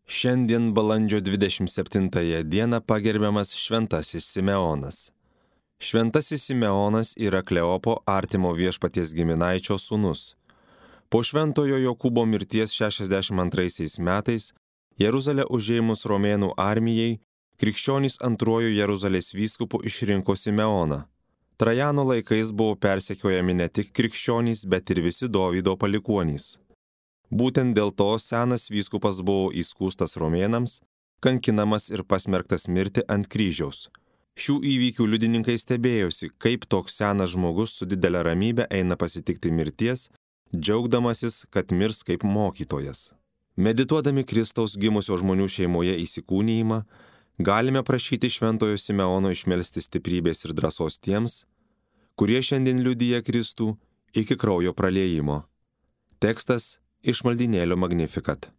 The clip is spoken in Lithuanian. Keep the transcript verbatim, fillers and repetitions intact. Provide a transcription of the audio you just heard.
Šiandien balandžio dvidešimt septintąją dieną pagerbiamas Šventasis Simeonas. Šventasis Simeonas yra Kleopo artimo Viešpaties giminaičio sūnus. Po Šventojo Jokūbo mirties šešiasdešimt antraisiais metais Jeruzalę užėmus romėnų armijai, krikščionys antruoju Jeruzalės vyskupu išrinko Simeoną. Trajano laikais buvo persekiojami ne tik krikščionys, bet ir visi Dovydo palikuonys. Būtent dėl to senas vyskupas buvo įskųstas romėnams, kankinamas ir pasmerktas mirti ant kryžiaus. Šių įvykių liudininkai stebėjosi, kaip toks senas žmogus su didelė ramybė eina pasitikti mirties, džiaugdamasis, kad mirs kaip mokytojas. Medituodami Kristaus gimusio žmonių šeimoje įsikūnijimą, galime prašyti Šventojo Simeono išmelsti stiprybės ir drąsos tiems, kurie šiandien liudija Kristų iki kraujo praliejimo. Tekstas iš maldynėlio Magnificat.